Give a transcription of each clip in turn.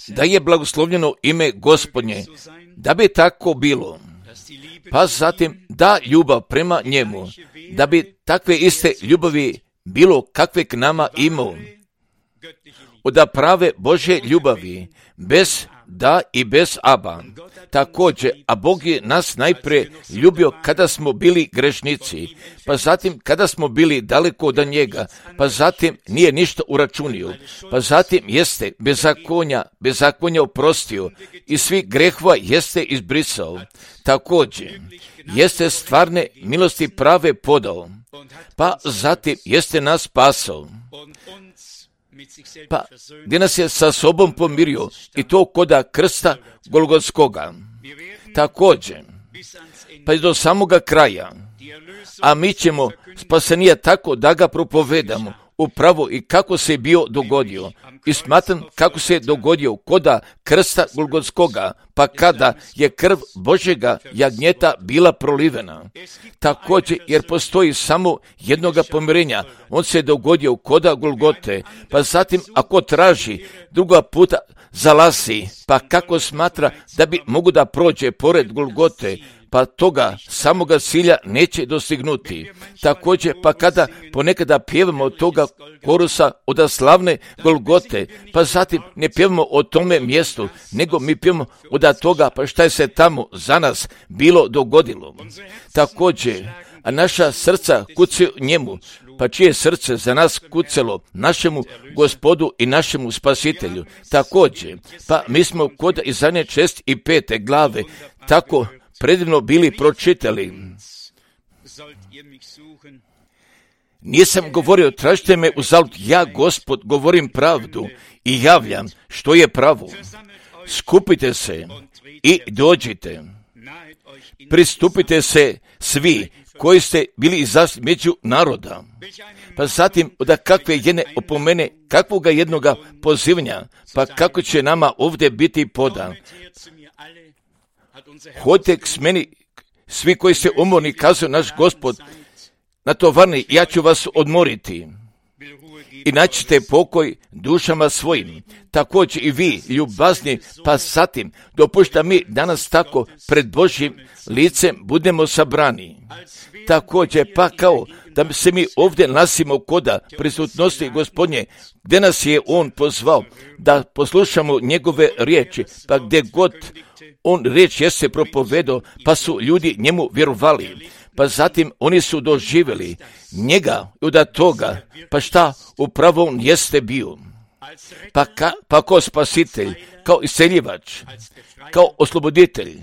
Da je blagoslovljeno ime Gospodnje, da bi tako bilo. Pa zatim da ljubav prema njemu, da bi takve iste ljubavi bilo kakve k nama imao. Od prave Božje ljubavi, bez da i bez aba. Također, a Bog je nas najprije ljubio kada smo bili grešnici, pa zatim kada smo bili daleko od njega, pa zatim nije ništa uračunio, pa zatim jeste bezakonja oprostio i svi grehova jeste izbrisao. Također, jeste stvarne milosti prave podao, pa zatim jeste nas spasao. Pa gdje nas je sa sobom pomirio i to koda krsta Golgotskoga. Također, pa i do samoga kraja, a mi ćemo spasenija tako da ga propovedamo upravo i kako se je bio dogodio. I smatram kako se je dogodio koda krsta Golgotskoga, pa kada je krv Božjega jagnjeta bila prolivena. Također, jer postoji samo jednoga pomirenja, on se je dogodio koda Golgote, pa zatim ako traži druga puta zalazi, pa kako smatra da bi mogu da prođe pored Golgote, pa toga samoga cilja neće dostignuti. Također, pa kada ponekada pjevamo od toga korusa od slavne Golgote, pa zatim ne pjevamo o tome mjestu, nego mi pjevamo od toga pa šta je se tamo za nas bilo dogodilo. Također, a naša srca kucaju njemu, pa čije srce za nas kucalo našemu Gospodu i našemu Spasitelju. Također, pa mi smo kod Izaije 6 i 5 glave tako predivno bili pročitali. Nisam govorio, tražite me uzalud, ja Gospod govorim pravdu i javljam što je pravo. Skupite se i dođite. Pristupite se svi koji ste bili među naroda. Pa zatim od kakve jedne opomene, kakvoga jednoga pozivanja, pa kako će nama ovdje biti podan. Hodite k meni, svi koji ste umorni, kazuje naš Gospod, natovarni, ja ću vas odmoriti. I naćete pokoj dušama svojim. Također i vi, ljubazni, pa zatim dopušta mi danas tako pred Božjim licem budemo sabrani. Također, pa kao da se mi ovdje nasimo koda prisutnosti Gospodnje, gdje nas je On pozvao da poslušamo njegove riječi, pa gdje god on riječ jeste propovedao, pa su ljudi njemu vjerovali. Pa zatim oni su doživjeli njega od toga, pa šta upravo on jeste bio. Pa kao spasitelj, kao isceljivač, kao osloboditelj.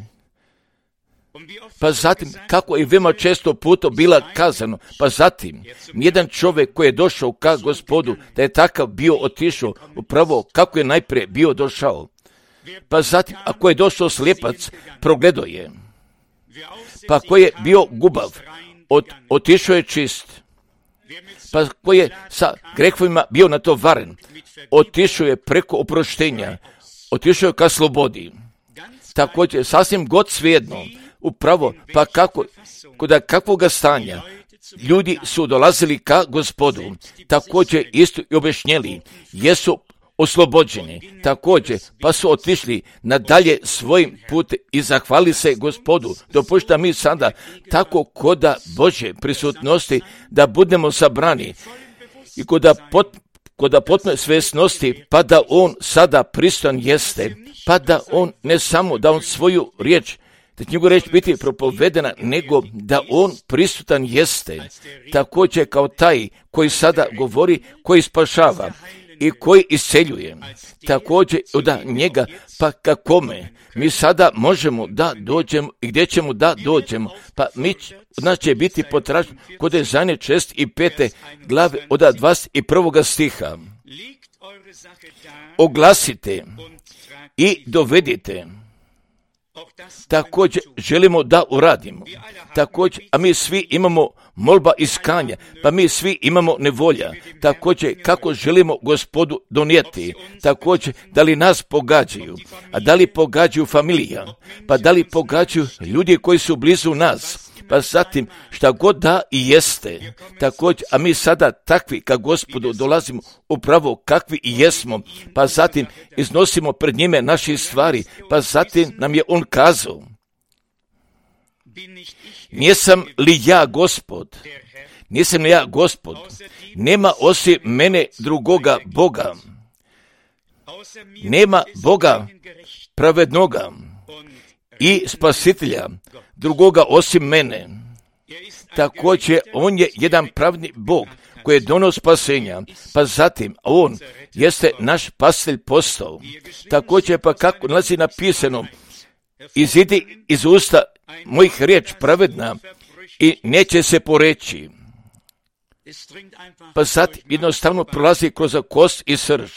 Pa zatim, kako je veoma često puta bila kazano, pa zatim, nijedan čovjek koji je došao ka Gospodu, da je takav bio otišao, upravo kako je najprije bio došao. Pa zatim, ako je došao slijepac, progledao je. Pa ko je bio gubav, otišao je čist. Pa ko je sa grehovima bio natovaren, otišao je preko oproštenja, otišao je ka slobodi. Također, sasvim god svejedno, upravo, pa kako, kod kakvoga stanja, ljudi su dolazili ka Gospodu, također isto i objašnjeli, jesu oslobođeni, također, pa su otišli nadalje svojim putem i zahvali se Gospodu. Dopušta mi sada tako koda Božje prisutnosti da budemo sabrani i koda potpune svjesnosti, pa da on sada prisutan jeste, pa da on ne samo da on svoju riječ, da će njegova riječ biti propovedena, nego da on prisutan jeste, također kao taj koji sada govori, koji spašava i koji isceljuje, također od njega, pa kakome mi sada možemo da dođemo i gdje ćemo da dođemo, pa od nas će biti potražen kod Izaije 6 i 5 glave od 21. stiha. Oglasite i dovedite. Također želimo da uradimo. Također, a mi svi imamo molba iskanja, pa mi svi imamo nevolja. Također, kako želimo Gospodu donijeti. Također, da li nas pogađaju, a da li pogađaju familija, pa da li pogađaju ljudi koji su blizu nas, pa zatim šta god da i jeste, također, a mi sada takvi ka Gospodu dolazimo upravo kakvi i jesmo, pa zatim iznosimo pred njime naše stvari, pa zatim nam je on kazao, nisam li ja Gospod, nisam li ja Gospod, nema osim mene drugoga Boga, nema Boga pravednoga i spasitelja drugoga osim mene. Također, on je jedan pravni Bog koji je donio spasenja, pa zatim on jeste naš spasitelj postao. Također, pa kako nalazi napisano, izidi iz usta mojih riječ pravedna i neće se poreći. Pa sad jednostavno prolazi kroz kost i srž.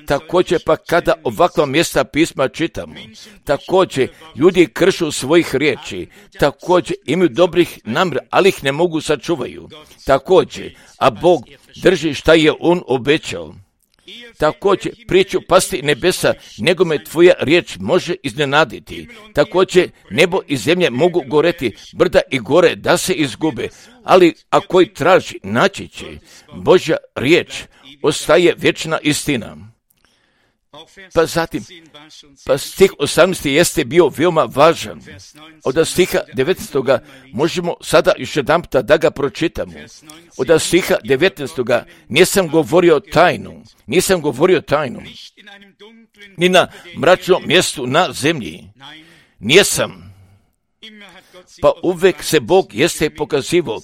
Također, pa kada ovakva mjesta pisma čitamo, također ljudi kršu svojih riječi, također imaju dobrih namjera, ali ih ne mogu sačuvaju. Također, a Bog drži šta je on obećao. Također, priču pasti nebesa, nego me tvoja riječ može iznenaditi. Također, nebo i zemlje mogu goreti, brda i gore da se izgube, ali ako ih traži, naći će. Božja riječ ostaje vječna istina. Pa zatim, pa stih 18. jeste bio veoma važan. Od stiha 19. možemo sada još jedanputa da ga pročitamo. Od stiha 19. nisam govorio tajnu, ni na mračnom mjestu na zemlji. Nisam. Pa uvek se Bog jeste pokazivao.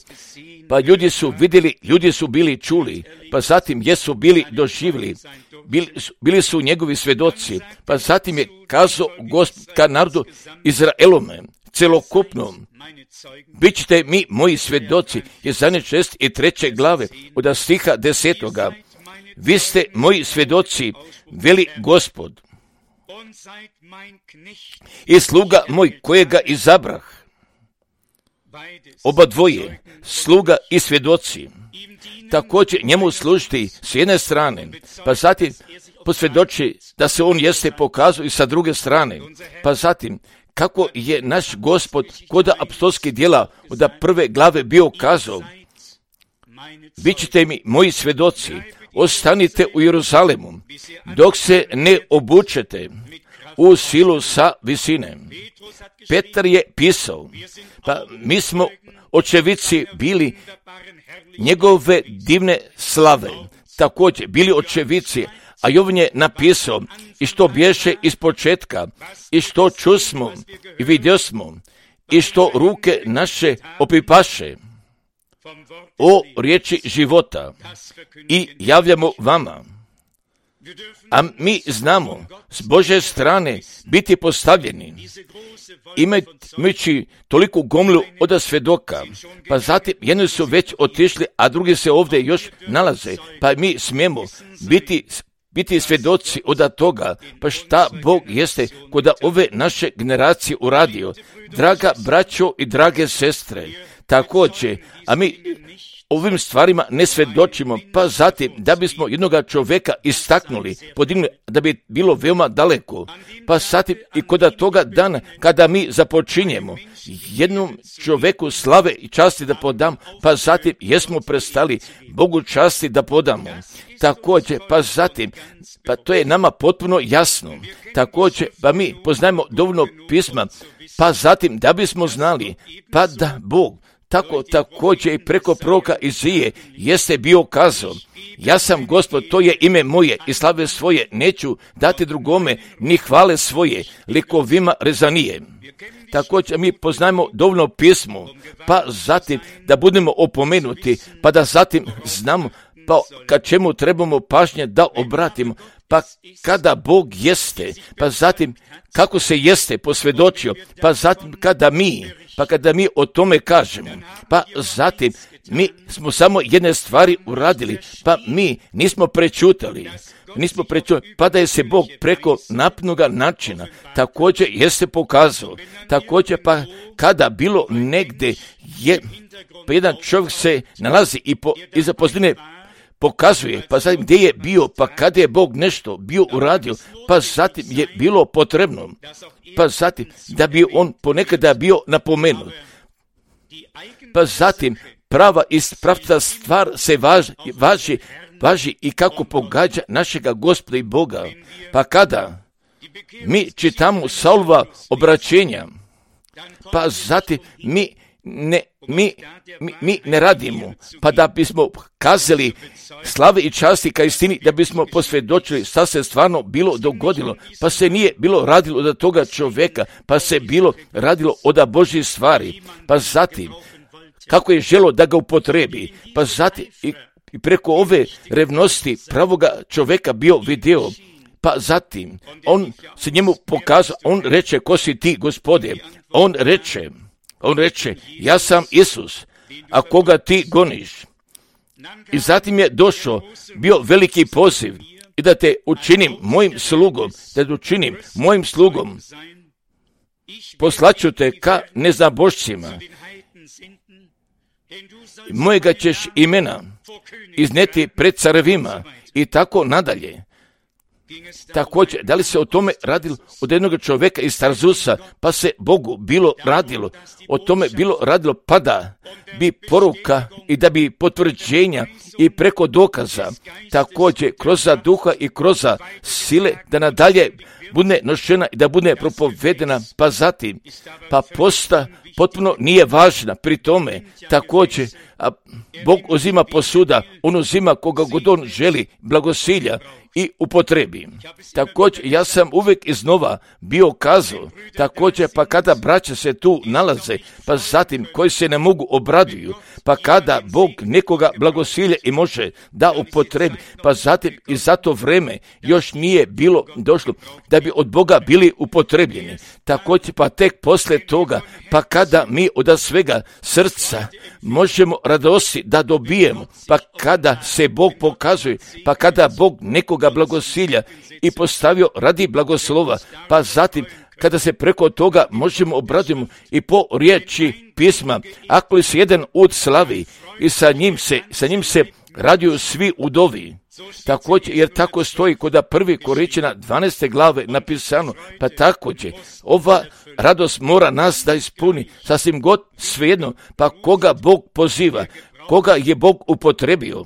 Pa ljudi su vidjeli, ljudi su bili čuli, pa zatim jesu bili doživjeli, bili su njegovi svjedoci, pa zatim je kazao Gospod ka narodu Izraelome, celokupnom, bit ćete mi moji svjedoci, Jesaja 6 i 3. glave, od stiha 10. Vi ste moji svjedoci, veli Gospod, i sluga moj kojega izabrah. Oba dvoje, sluga i svjedoci, također njemu služiti s jedne strane, pa zatim posvjedoči da se on jeste pokazao i sa druge strane, pa zatim kako je naš Gospod kod apostolskih djela od 1. glave bio kazao, bit ćete mi moji svjedoci, ostanite u Jeruzalemu, dok se ne obučete u silu sa visine. Petar je pisao, pa mi smo očevici bili njegove divne slave, također bili očevici, a Jovan je napisao i što bješe iz početka, i što čusmo i vidjosmo, i što ruke naše opipaše o riječi života i javljamo vama. A mi znamo s Božje strane biti postavljeni, imajući toliku gomilu od svjedoka, pa zatim jedni su već otišli, a drugi se ovdje još nalaze, pa mi smijemo biti svjedoci od toga, pa šta Bog jeste kod ove naše generacije uradio. Draga braćo i drage sestre, također, a mi ovim stvarima ne svjedočimo, pa zatim da bismo jednoga čovjeka istaknuli, podigli, da bi bilo veoma daleko, pa zatim i kod toga dana kada mi započinjemo jednom čovjeku slave i časti da podam, pa zatim jesmo prestali Bogu časti da podamo. Također, pa zatim, pa to je nama potpuno jasno. Također, pa mi poznajemo dovoljno pisma, pa zatim da bismo znali, pa da Bog tako također i preko proroka Izije jeste bio kazao, ja sam Gospod, to je ime moje i slave svoje neću dati drugome, ni hvale svoje, likovima rezanije. Također mi poznajemo dovoljno pismo, pa zatim da budemo opomenuti, pa da zatim znamo pa kad čemu trebamo pažnje da obratimo, pa kada Bog jeste, pa zatim kako se jeste posvjedočio, pa zatim kada mi o tome kažemo, pa zatim mi smo samo jedne stvari uradili, pa mi nismo prečutali, pa da je se Bog preko napnoga načina također jeste pokazao, također pa kada bilo negdje je, pa jedan čovjek se nalazi iza pozadine pokazuje, pa zatim gdje je bio, pa kada je Bog nešto bio uradio, pa zatim je bilo potrebno, pa zatim da bi on ponekada bio napomenut. Pa zatim prava i pravca stvar se važi i kako pogađa našega Gospoda i Boga. Pa kada mi čitamo Saulova obraćenja, pa zatim mi ne radimo, pa da bismo kazali slave i časti ka istini, da bismo posvjedočili šta se stvarno bilo dogodilo, pa se nije bilo radilo od toga čovjeka, pa se bilo radilo od Božjih stvari, pa zatim kako je želo da ga upotrebi, pa zatim i preko ove revnosti pravoga čovjeka bio video, pa zatim on se njemu pokazao, on reče, ko si ti, Gospode? On reče, ja sam Isus, a koga ti goniš? I zatim je došao, bio veliki poziv, i da te učinim mojim slugom, poslaću te ka neznabošcima, mojega ćeš imena izneti pred carevima, i tako nadalje. Također, da li se o tome radilo od jednog čovjeka iz Tarzusa, pa se Bogu bilo radilo, o tome bilo radilo, pa da bi poruka i da bi potvrđenja i preko dokaza, također kroz duha i kroz sile, da nadalje bude nošena i da bude propovedena, pa zatim, pa posta potpuno nije važna pri tome, također, a Bog uzima posuda, on uzima koga god on želi, blagosilja i upotrebi. Također, ja sam uvijek iznova bio kazao, također, pa kada braća se tu nalaze, pa zatim koji se ne mogu obraduju, pa kada Bog nekoga blagosilje i može da upotrebi, pa zatim i za to vreme još nije bilo došlo da bi od Boga bili upotrebljeni. Također, pa tek poslije toga, pa kada mi od svega srca možemo radosti da dobijemo, pa kada se Bog pokazuje, pa kada Bog nekoga blagosilja i postavio radi blagoslova, pa zatim kada se preko toga možemo obraditi i po riječi pisma, ako li se jedan ud slavi i sa njim se raduju svi udovi. Također, jer tako stoji kod 1. Korinćana 12. glave napisano, pa također ova radost mora nas da ispuni, sasvim god svejedno, pa koga Bog poziva, koga je Bog upotrebio.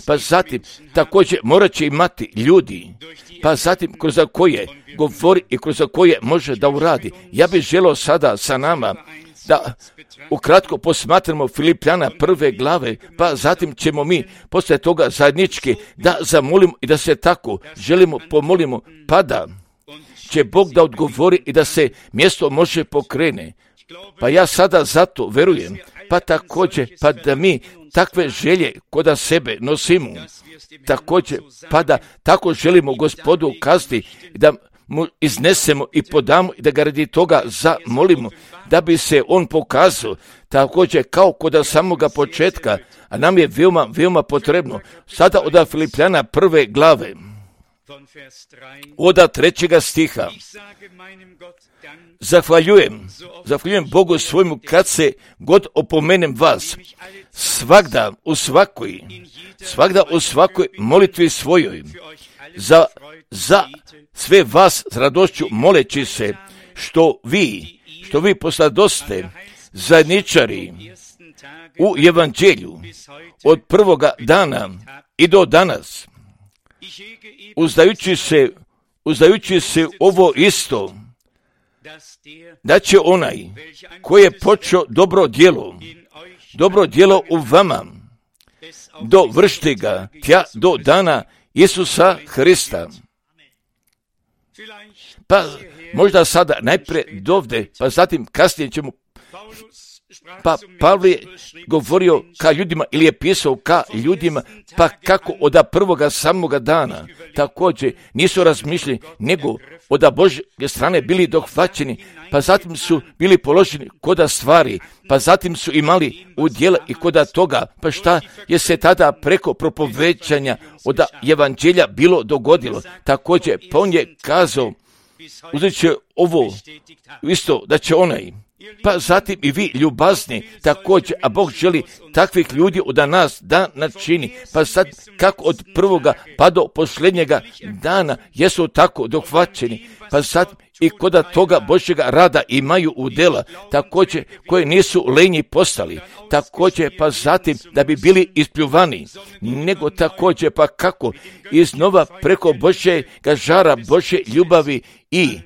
Pa zatim također morat će imati ljudi, pa zatim kroz koje govori i kroz koje može da uradi. Ja bih želio sada sa nama da ukratko posmatramo Filipljana 1. glave, pa zatim ćemo mi poslije toga zajednički da zamolimo i da se tako želimo pomolimo, pa da će Bog da odgovori i da se mjesto može pokrene. Pa ja sada zato verujem, pa također, pa da mi takve želje kod sebe nosimo, također, pa da tako želimo Gospodu kazati, da mu iznesemo i podamo i da ga radi toga zamolimo, da bi se on pokazao, također kao kod samoga početka, a nam je veoma, veoma potrebno. Sada od Filipljana 1. glave, od 3. stiha, Zahvaljujem Bogu svojmu kad se god opomenem vas, svagda u svakoj molitvi svojoj, za sve vas s radošću moleći se, što vi posladoste zajedničari u evanđelju od prvoga dana i do danas, uzdajući se ovo isto, da će onaj koji je počeo dobro djelo u vama, dovršiti ga tja do dana Isusa Hrista. Pa možda sada najprije dovde, pa zatim kasnije ćemo, pa Pavle je govorio ka ljudima ili je pisao ka ljudima, pa kako od prvoga samoga dana također nisu razmišljeni, nego od Božje strane bili dohvaćeni, pa zatim su bili položeni koda stvari, pa zatim su imali udjela i koda toga, pa šta je se tada preko propovećanja od evanđelja bilo dogodilo. Također, pa on je kazao, uzet će ovo isto, da će onaj pa zatim i vi ljubazni također, a Bog želi takvih ljudi od nas da načini, pa sad kako od prvoga pa do posljednjega dana jesu tako dohvaćeni, pa sad i koda toga Božjega rada imaju udjela, također koje nisu lenji postali, također pa zatim da bi bili ispljuvani, nego također pa kako iznova preko Božjega žara Božje ljubavi i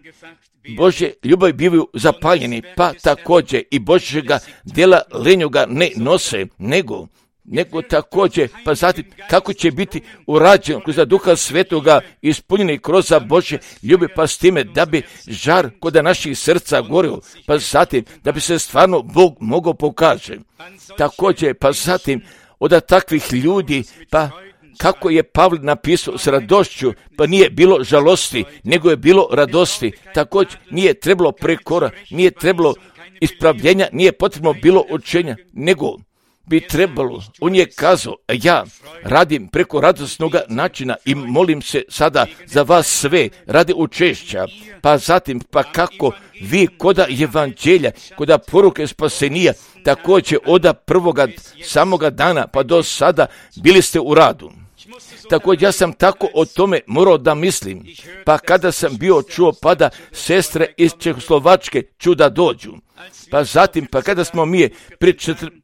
Božje ljubavi bivaju zapaljeni, pa također i Božjega djela lenjoga ne nose, nego također, pa zatim kako će biti urađeno kroz Duha Svetoga ispunjeni kroz Božje ljubav, pa s time da bi žar kod naših srca gorio, pa zatim da bi se stvarno Bog mogao pokaže. Također, pa zatim od takvih ljudi, pa kako je Pavle napisao s radošću, pa nije bilo žalosti, nego je bilo radosti. Također nije trebalo prekora, nije trebalo ispravljenja, nije potrebno bilo učenja, nego bi trebalo. On je kazao, ja radim preko radosnog načina i molim se sada za vas sve radi učešća, pa zatim pa kako vi koda evanđelja, koda poruke spasenija, također od prvoga samoga dana pa do sada bili ste u radu. Također ja sam tako o tome morao da mislim, pa kada sam bio čuo pa da sestre iz Čehoslovačke ću da dođu, pa zatim pa kada smo mi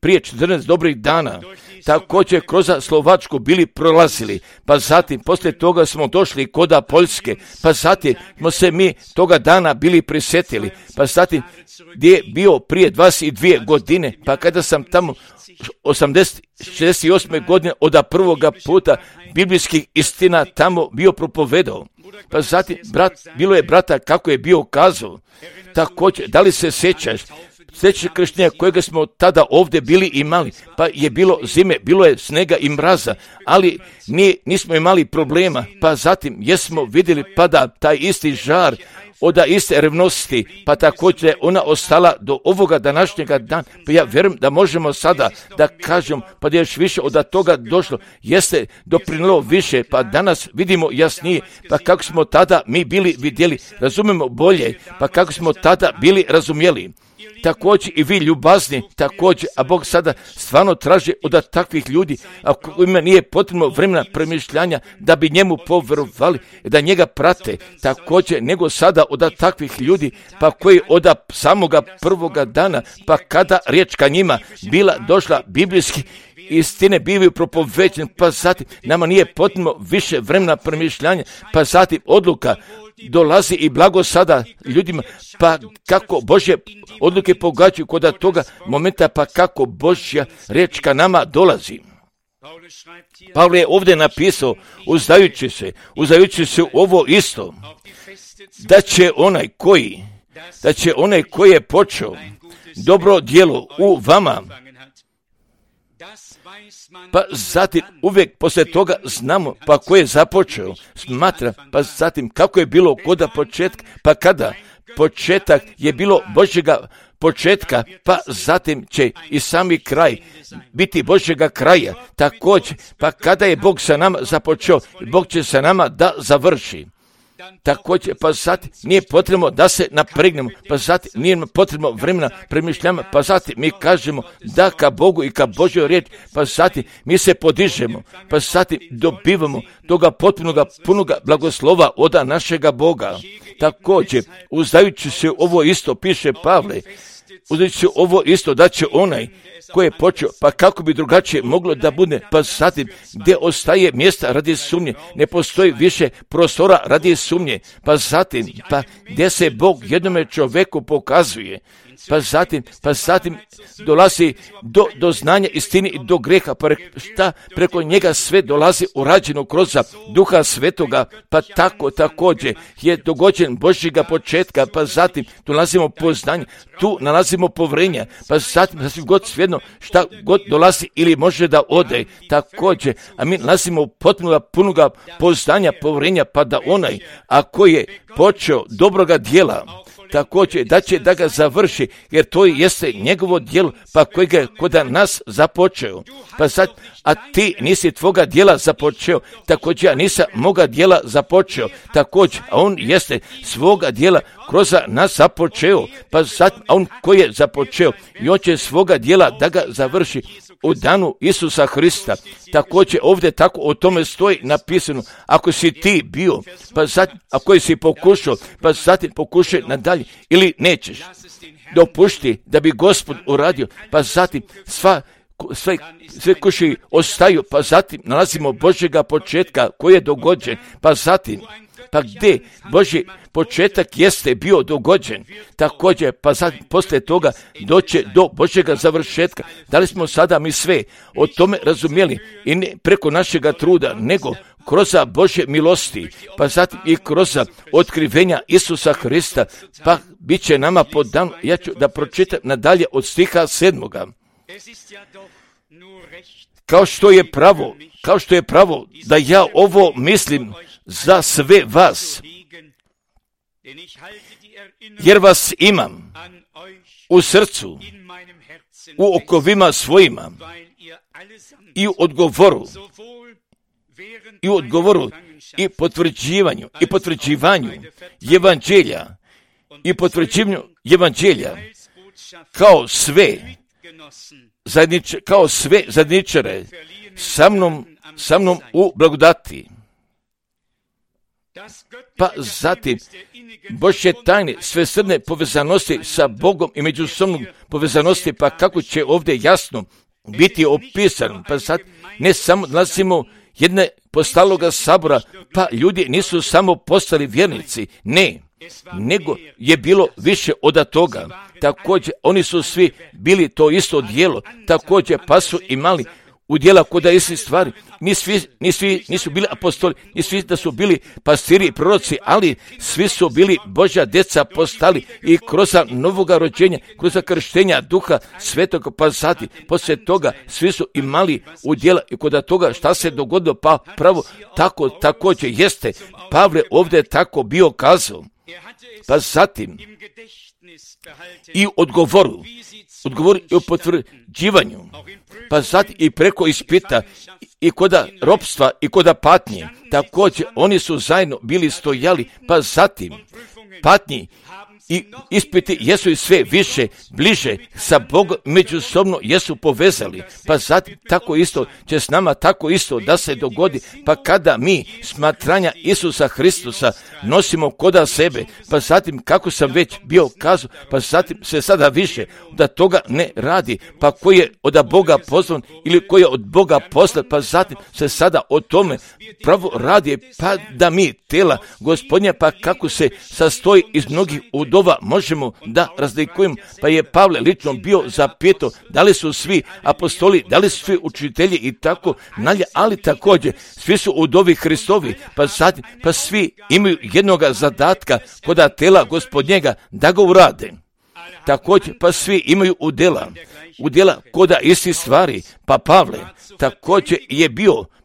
prije 14 dobrih dana također kroz Slovačku bili prolazili, pa zatim poslije toga smo došli koda Poljske, pa zatim smo se mi toga dana bili prisjetili, pa zatim gdje je bio prije 22 godine, pa kada sam tamo 68. godine od prvoga puta biblijskih istina tamo bio propovedao, pa zatim bilo je brata kako je bio kazao, također da li se sjećaš sljedeće krštenja kojega smo tada ovdje bili imali, pa je bilo zime, bilo je snega i mraza, ali nismo imali problema, pa zatim jesmo vidjeli pa da taj isti žar od iste revnosti, pa također je ona ostala do ovoga današnjega dana, pa ja vjerujem da možemo sada da kažem, pa da je još više od toga došlo, jeste doprinilo više, pa danas vidimo jasnije, pa kako smo tada mi bili vidjeli, razumemo bolje, pa kako smo tada bili razumjeli. Također i vi ljubazni, također, a Bog sada stvarno traži od takvih ljudi, a kojima nije potrebno vremena premišljanja da bi njemu povjerovali, da njega prate, također nego sada od takvih ljudi, pa koji od samoga prvoga dana, pa kada riječ ka njima bila došla biblijski, istine bivaju propoveđene, pa zatim nama nije potrebno više vremena premišljanja, pa zatim odluka dolazi i blago sada ljudima, pa kako Božje odluke pogađaju kod toga momenta, pa kako Božja riječ ka nama dolazi. Pavle je ovdje napisao, uzdajući se u ovo isto, da će onaj koji je počeo dobro djelo u vama, pa zatim uvijek poslije toga znamo, pa ko je započeo, smatra, pa zatim kako je bilo kod početka, pa kada početak je bilo Božjega početka, pa zatim će i sami kraj biti Božjega kraja, također, pa kada je Bog sa nama započeo, Bog će sa nama da završi. Također, pa zatim nije potrebno da se napregnemo, pa zatim nije potrebno vremena premišljama, pa zatim mi kažemo da ka Bogu i ka Božjoj riječi, pa zatim mi se podižemo, pa zatim dobivamo toga potpunoga, punoga blagoslova od našega Boga. Također, uzdajući se ovo isto, piše Pavle, uzdajući se ovo isto, da će onaj koji je počeo, pa kako bi drugačije moglo da bude, pa zatim gdje ostaje mjesta radi sumnje, ne postoji više prostora radi sumnje, pa zatim, pa gdje se Bog jednome čovjeku pokazuje, pa zatim dolazi do znanja istine i do greha, pa šta preko njega sve dolazi urađeno kroz Duha Svetoga, pa tako također je dogođen Božjega početka, pa zatim dolazimo poznanje, tu nalazimo povrenja, pa zatim sasvim god svejedno šta god dolazi ili može da ode, također, a mi nalazimo potpuno punoga poznanja, povrenja, pa da onaj, a koji je počeo dobroga djela, također da će da ga završi, jer to jeste njegovo djelo, pa kojeg je kod nas započeo. Pa sad, a ti nisi tvoga djela započeo, također ja nisam moga djela započeo, također, a on jeste svoga djela kroz nas započeo, pa sad, a on koji je započeo i on će svoga djela da ga završi u danu Isusa Hrista. Također ovdje tako o tome stoji napisano, ako si ti bio, pa zatim, ako si pokušao, pa zatim pokušaj nadalje ili nećeš. Dopušti da bi Gospod uradio, pa zatim sve kuši ostaju, pa zatim nalazimo Božjega početka koji je dogođen, pa zatim, pa gdje Božji početak jeste bio dogođen, također, pa zatim poslije toga doće do Božjega završetka. Da li smo sada mi sve o tome razumjeli i ne preko našega truda, nego kroz Božje milosti, pa zatim i kroz otkrivenja Isusa Hrista, pa bit će nama podano. Ja ću da pročitam nadalje od stiha 7. Kao što je pravo da ja ovo mislim za sve vas, jer vas imam u srcu, u okovima svojima i u odgovoru i potvrđivanju evanđelja kao sve zajedničare sa mnom u blagodati. Pa zatim Božje tajne svesrdne povezanosti sa Bogom i međusobnom povezanosti, pa kako će ovdje jasno biti opisan. Pa sad ne samo nalazimo jedne postaloga sabora, pa ljudi nisu samo postali vjernici, ne, nego je bilo više od toga. Također oni su svi bili to isto djelo, također pa su imali udjela kod isti stvari. Nisu bili apostoli, ni svi da su bili pastiri i proroci, ali svi su bili Božja djeca postali i kroz novoga rođenja, kroz krštenja Duha Svetog, pa zatim poslije toga svi su imali udjela i kod toga šta se dogodilo, pa pravo tako također jeste. Pavle ovdje tako bio kazao, pa zatim i odgovoru i o potvrđivanju, pa zatim i preko ispita i koda ropstva i koda patnje, također oni su zajedno bili stojali, pa zatim patnji i ispiti jesu i sve više, bliže sa Bogom, međusobno jesu povezali, pa zatim tako isto će s nama tako isto da se dogodi, pa kada mi smatranja Isusa Hristusa nosimo koda sebe, pa zatim kako sam već bio kazao, pa zatim se sada više da toga ne radi, pa koji je od Boga pozvan ili koji je od Boga poslat, pa zatim se sada o tome pravo radi, pa da mi tela Gospodnja, pa kako se sastoji iz mnogih udova, možemo da razlikujemo, pa je Pavle lično bio zapitao da li su svi apostoli, da li su svi učitelji i tako nalje, ali također svi su udovi Hristovi, pa zatim, pa svi imaju jednoga zadatka kod tela Gospodnjega da ga urade. Također, pa svi imaju udjela koda isti stvari, pa Pavle također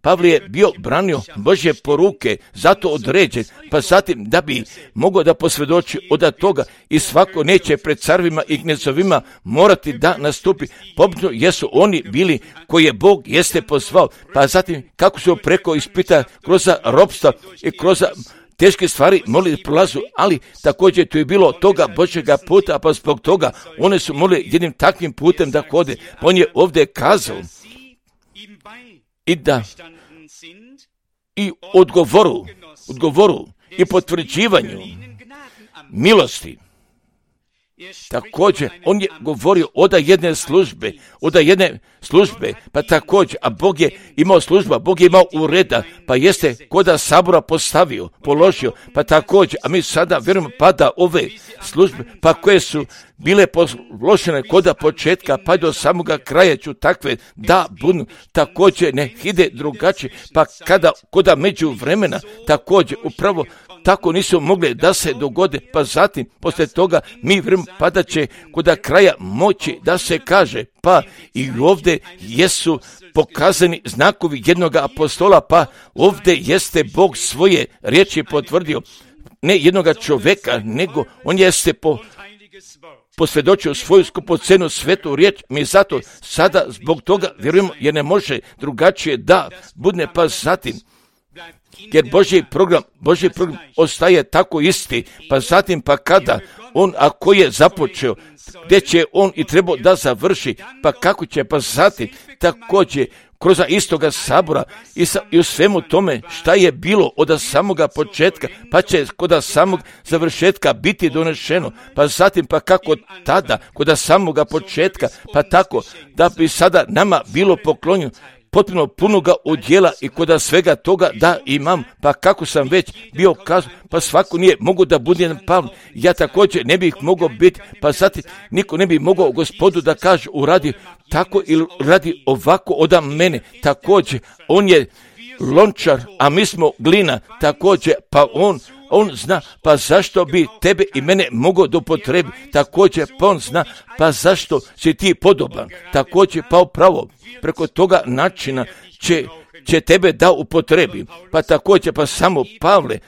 Pavle je bio branio Božje poruke, zato određen, pa zatim da bi mogao da posvjedoči od toga i svako neće pred carvima i knezovima morati da nastupi, pobno jesu oni bili koje Bog jeste pozvao, pa zatim kako su preko ispita kroz ropstva i kroz teške stvari mogli prolazu, ali također tu je bilo toga Božjega puta, pa zbog toga one su mogli jednim takvim putem da hode. On je ovdje kazao i da i odgovoru i potvrđivanju milosti. Također, on je govorio od jedne službe, pa također, a Bog je imao služba, Bog je imao ureda, pa jeste koda sabora položio, pa također, a mi sada vjerujemo pa da ove službe, pa koje su bile položene koda početka, pa do samoga kraja ću takve da budu, također ne ide drugačije, pa kada koda među vremena, također, upravo tako nisu mogli da se dogode, pa zatim, poslije toga, mi vjerujemo pa da će koda kraja moći da se kaže, pa i ovdje jesu pokazani znakovi jednoga apostola, pa ovdje jeste Bog svoje riječi potvrdio, ne jednoga čovjeka, nego on jeste posvjedočio svoju skupocenu svetu riječ. Mi zato sada zbog toga vjerujemo, jer ne može drugačije da bude, pa zatim jer Božji program ostaje tako isti, pa zatim pa kada on ako je započeo, gdje će on i trebao da završi, pa kako će, pa zatim također kroz istoga sabora i u svemu tome šta je bilo od samoga početka, pa će kod samog završetka biti donešeno, pa zatim pa kako tada kod samoga početka, pa tako da bi sada nama bilo poklonjeno potpuno punoga udjela i kod svega toga da imam, pa kako sam već bio kazao, pa svako nije mogu da bude jedan Pavle, ja također ne bih mogao biti, pa zatim niko ne bi mogao Gospodu da kaže uradi tako ili radi ovako od mene, također on je lončar, a mi smo glina, također pa on zna, pa zašto bi tebe i mene mogao dopotrebiti, također pa on zna, pa zašto si ti podoban, također pa upravo preko toga načina će tebe da upotrebi, pa također pa samo Pavle,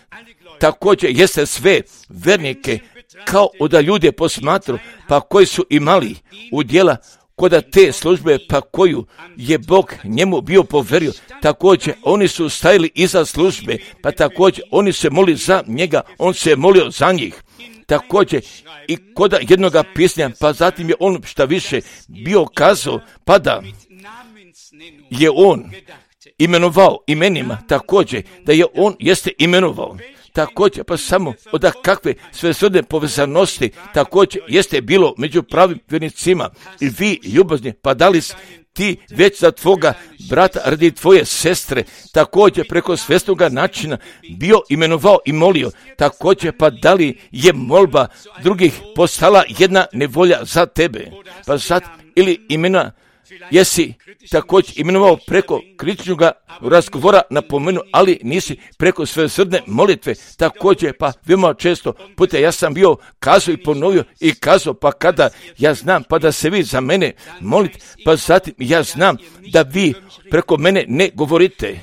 također jeste sve vernike kao da ljude posmatru, pa koji su imali udjela kod te službe, pa koju je Bog njemu bio poverio, također oni su stajali iza službe, pa također oni se molili za njega, on se molio za njih. Također i kod jednoga pisanja, pa zatim je on šta više bio kazao, pa da je on imenovao imenima, također da je on jeste imenovao. Također, pa samo od kakve svesrdne povezanosti također jeste bilo među pravim vjernicima i vi ljubazni, pa da li ti već za tvoga brata radi tvoje sestre također preko svesnoga načina bio imenovao i molio, također pa da li je molba drugih postala jedna nevolja za tebe, pa sad ili imena jesi također imenovao preko kritičnog razgovora napomenu, ali nisi preko svesrdne molitve, također pa veoma često puta ja sam bio kazao i ponovio i kazao, pa kada ja znam pa da se vi za mene molite, pa zatim ja znam da vi preko mene ne govorite,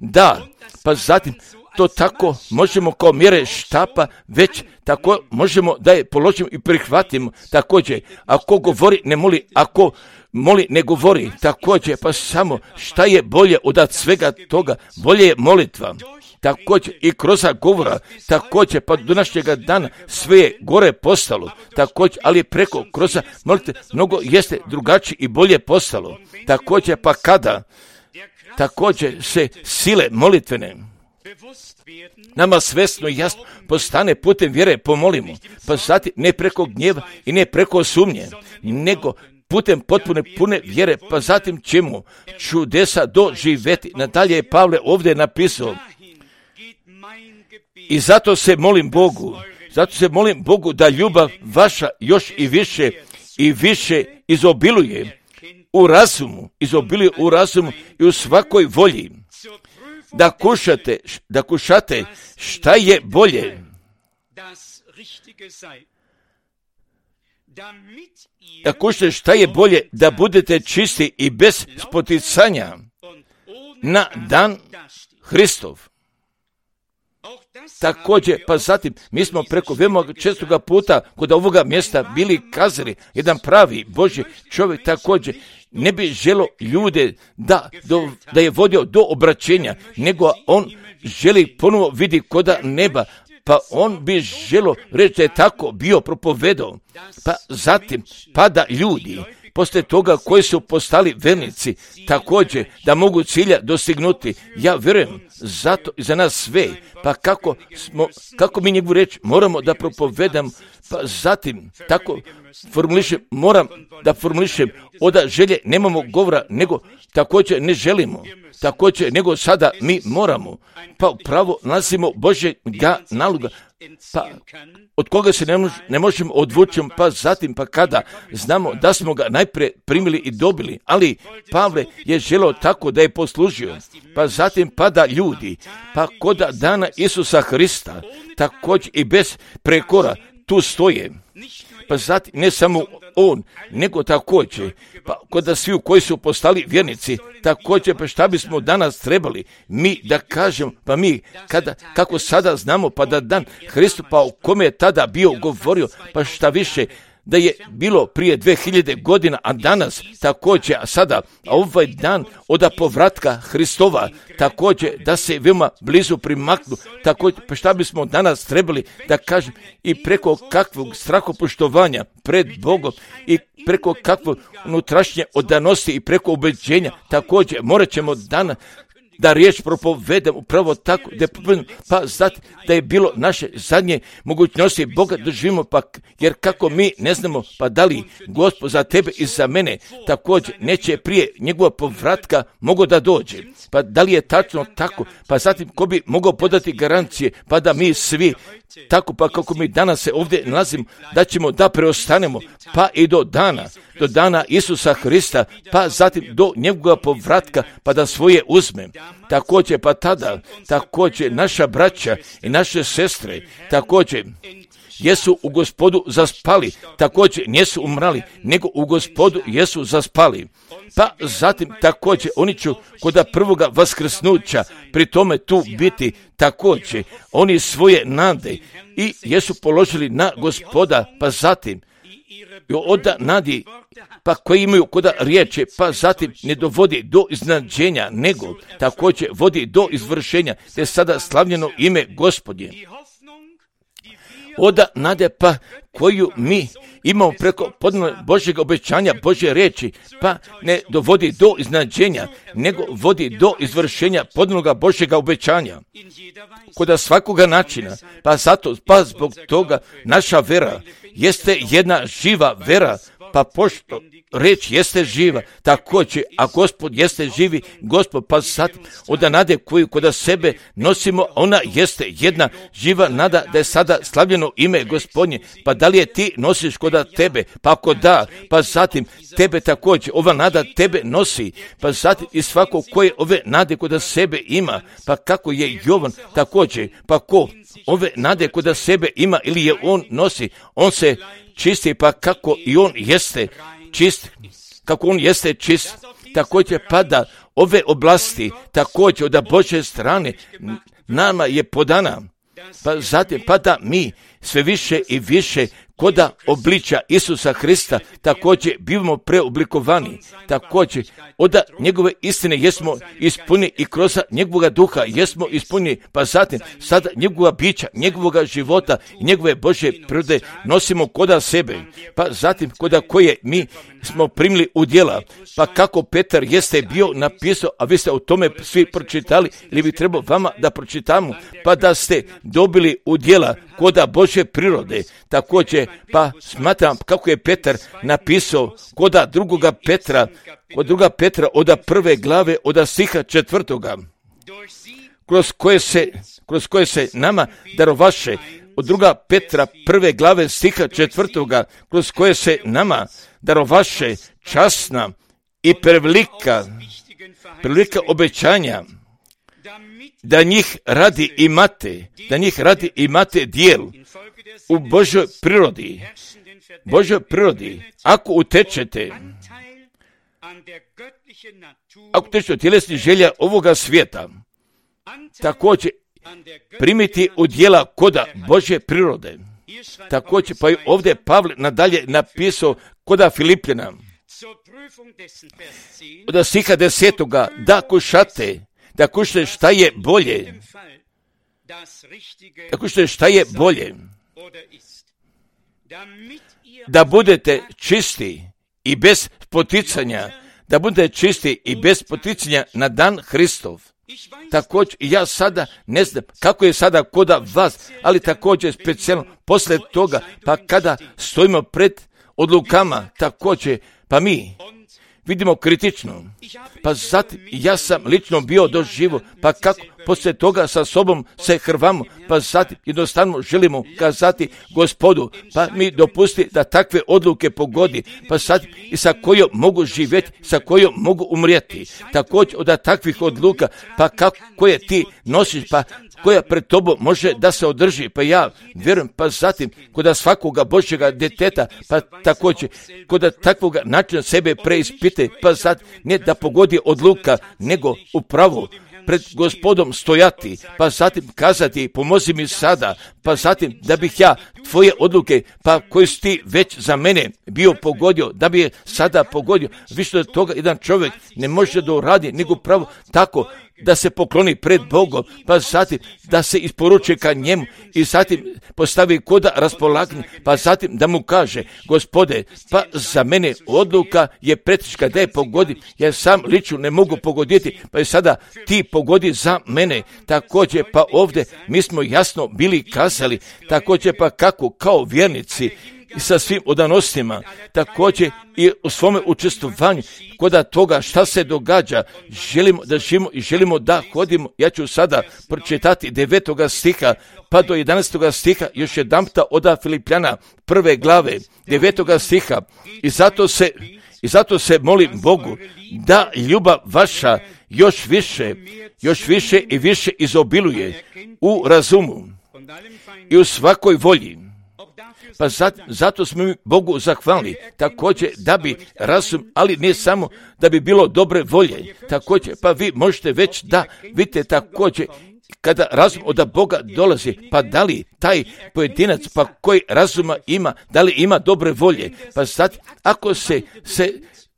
da, pa zatim to tako možemo kao mjere štapa, već tako možemo da je položimo i prihvatimo, također ako govori ne moli, ako moli ne govori, također pa samo šta je bolje od svega toga, bolje je molitva, također i kroz govora, također pa do današnjega dana sve je gore postalo, također ali preko kroz molitve mnogo jeste drugačije i bolje postalo, također pa kada također se sile molitvene nama svesno i jasno postane putem vjere pomolimo, pa zatim ne preko gnjeva i ne preko sumnje, nego putem potpune pune vjere, pa zatim ćemo čudesa doživjeti. Nadalje je Pavle ovdje napisao i zato se molim Bogu da ljubav vaša još i više izobiluje u razumu i u svakoj volji, da kušate šta je bolje, da kušate šta je bolje, da budete čisti i bez spoticanja na dan Hristov. Također, pa zatim, mi smo preko veoma čestoga puta kod ovoga mjesta bili kazali, jedan pravi Božji čovjek također ne bi želo ljude da je vodio do obraćenja, nego on želi ponovo vidi koda neba, pa on bi želo reći da je tako bio propovedao, pa zatim pada ljudi poslije toga koji su postali vernici, također da mogu cilja dostignuti. Ja vjerujem zato i za nas sve, pa kako mi njegovu reč moramo da propovedamo, pa zatim tako moram da formulišem, od želje nemamo govora, nego također ne želimo, također nego sada mi moramo, pa upravo nalazimo Božjega naloga, pa od koga se ne možemo odvući, pa zatim pa kada znamo da smo ga najprije primili i dobili, ali Pavle je želeo tako da je poslužio, pa zatim pada ljudi, pa kod dana Isusa Hrista, također i bez prekora tu stoje, pa zatim ne samo on, nego također, pa kod svi koji su postali vjernici, također, pa šta bismo danas trebali mi da kažemo, pa mi, kako sada znamo, pa da dan Hristu, pa o kome je tada bio govorio, pa šta više, da je bilo prije 2000 godina, a danas također, a sada, a ovaj dan od povratka Hristova, također da se veoma blizu primaknu, također, pa šta bismo danas trebali da kažem, i preko kakvog strahopoštovanja pred Bogom i preko kakvog unutrašnje odanosti i preko ubeđenja, također morat ćemo danas da riječ propovedem upravo tako, pa zatim da je bilo naše zadnje mogućnosti Boga doživimo, pa jer kako mi ne znamo, pa da li Gospod za tebe i za mene također neće prije njegova povratka mogao da dođe, pa da li je tačno tako, pa zatim ko bi mogao podati garancije, pa da mi svi tako, pa kako mi danas se ovdje nalazimo, da ćemo da preostanemo, pa i do dana Isusa Hrista, pa zatim do njegovog povratka, pa da svoje uzme. Također, pa tada, također naša braća i naše sestre, također, jesu u Gospodu zaspali, također nisu umrali, nego u Gospodu jesu zaspali. Pa zatim također oni će kod prvoga vaskrsnuća pri tome tu biti, također oni svoje nade i jesu položili na Gospoda, pa zatim od nadi, pa koji imaju kod riječi, pa zatim ne dovodi do iznenađenja, nego također vodi do izvršenja, te sada slavljeno ime Gospodnje. Od nade, pa koju mi imamo preko Božjeg obećanja, Božje riječi, pa ne dovodi do iznenađenja, nego vodi do izvršenja podnoga Božjega obećanja. Kod svakoga načina, pa zato, pa zbog toga naša vera jeste jedna živa vera, pa pošto reč jeste živa, također, a Gospod jeste živi, Gospod, pa sad od nade koju kod sebe nosimo, ona jeste jedna živa nada da je sada slavljeno ime Gospodnje, pa da li je ti nosiš kod tebe, pa ako da, pa zatim tebe također, ova nada tebe nosi, pa zatim i svako koje ove nade kod sebe ima, pa kako je Jovan također, pa ko ove nade kod sebe ima ili je on nosi, on se čisti, pa kako i on jeste čist, kako on jeste čist, također pada ove oblasti, također od Božje strane nama je podana, pa zatim pada mi sve više i više koda obličja Isusa Hrista, također bivamo preoblikovani, također od njegove istine jesmo ispunjeni i kroz njegovog duha jesmo ispunjeni, pa zatim sada njegova bića, njegovog života i njegove Božje prirode nosimo koda sebe, pa zatim koda koje mi smo primili u djela, pa kako Petar jeste bio napisao, a vi ste o tome svi pročitali, ili bi trebalo vama da pročitamo, pa da ste dobili u djela koda Božje prirode, također, pa smatram kako je Petar napisao koda druga Petra od 1. glave od stiha 4. kroz koje se nama darovaše, od 2. Petra 1. glave stiha 4. kroz koje se nama darovaše časna i prevelika obećanja, da njih radi imate dijel u Božoj prirodi, ako utečete od tjelesnih želja ovoga svijeta, također primiti u djela koda Božje prirode. Također, pa i ovdje Pavle nadalje napisao koda Filipljana, od stiha 10. da kušate šta je bolje, da budete čisti i bez poticanja, na dan Hristov. Također, ja sada ne znam kako je sada koda vas, ali također specijalno poslije toga, pa kada stojimo pred odlukama, također, pa mi vidimo kritično, pa zatim ja sam lično bio doživo, pa kako poslije toga sa sobom se hrvamo, pa zatim jednostavno želimo kazati Gospodu, pa mi dopusti da takve odluke pogodi, pa zatim i sa kojom mogu živjeti, sa kojom mogu umrijeti. Također od takvih odluka, pa kako koje ti nosiš, pa koja pred tobom može da se održi, pa ja vjerujem, pa zatim kod svakoga Božjega djeteta, pa također kod takvoga načina sebe preispite, pa zatim ne da pogodi odluka, nego upravo pred Gospodom stojati, pa zatim kazati pomozi mi sada, pa zatim da bih ja tvoje odluke, pa koje si ti već za mene bio pogodio, da bi je sada pogodio. Više od toga jedan čovjek ne može da uradi, nego pravo tako da se pokloni pred Bogom, pa zatim da se isporuči ka njemu i zatim postavi koda raspolaganje, pa zatim da mu kaže, Gospode, pa za mene odluka je preteška da je pogodim, jer sam lično ne mogu pogoditi, pa je sada ti pogodi za mene. Također pa ovdje mi smo jasno bili kazali, također pa kako kao vjernici i sa svim odanostima, također i u svome učestvovanju kod toga šta se događa, želimo da živimo i želimo da hodimo. Ja ću sada pročitati 9. stiha pa do 11. stiha još jedanputa od Filipljana 1. glave 9. stiha i zato se molim Bogu da ljubav vaša još više i više izobiluje u razumu i u svakoj volji. Pa zato smo mi Bogu zahvalni, također da bi razum, ali ne samo da bi bilo dobre volje, također pa vi možete već da vidite također kada razum od Boga dolazi, pa da li taj pojedinac pa koji razuma ima, da li ima dobre volje, pa sad ako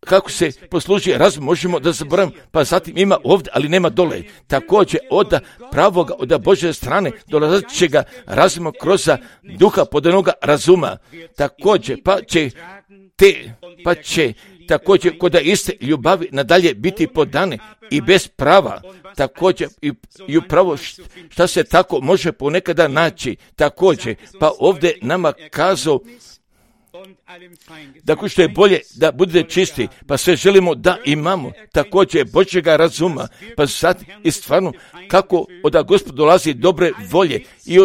kako se posluži razum, možemo da zaboravimo, pa zatim ima ovdje, ali nema dole. Također od pravoga, od Božje strane dolazećega razuma kroz duha podanoga razuma. Također pa će također kod iste ljubavi nadalje biti podane i bez prava. Također i upravo šta se tako može ponekada naći. Također pa ovdje nama kazao dakle što je bolje da budete čisti, pa sve želimo da imamo također Božjega razuma, pa sad i stvarno kako od Gospoda dolazi dobre volje i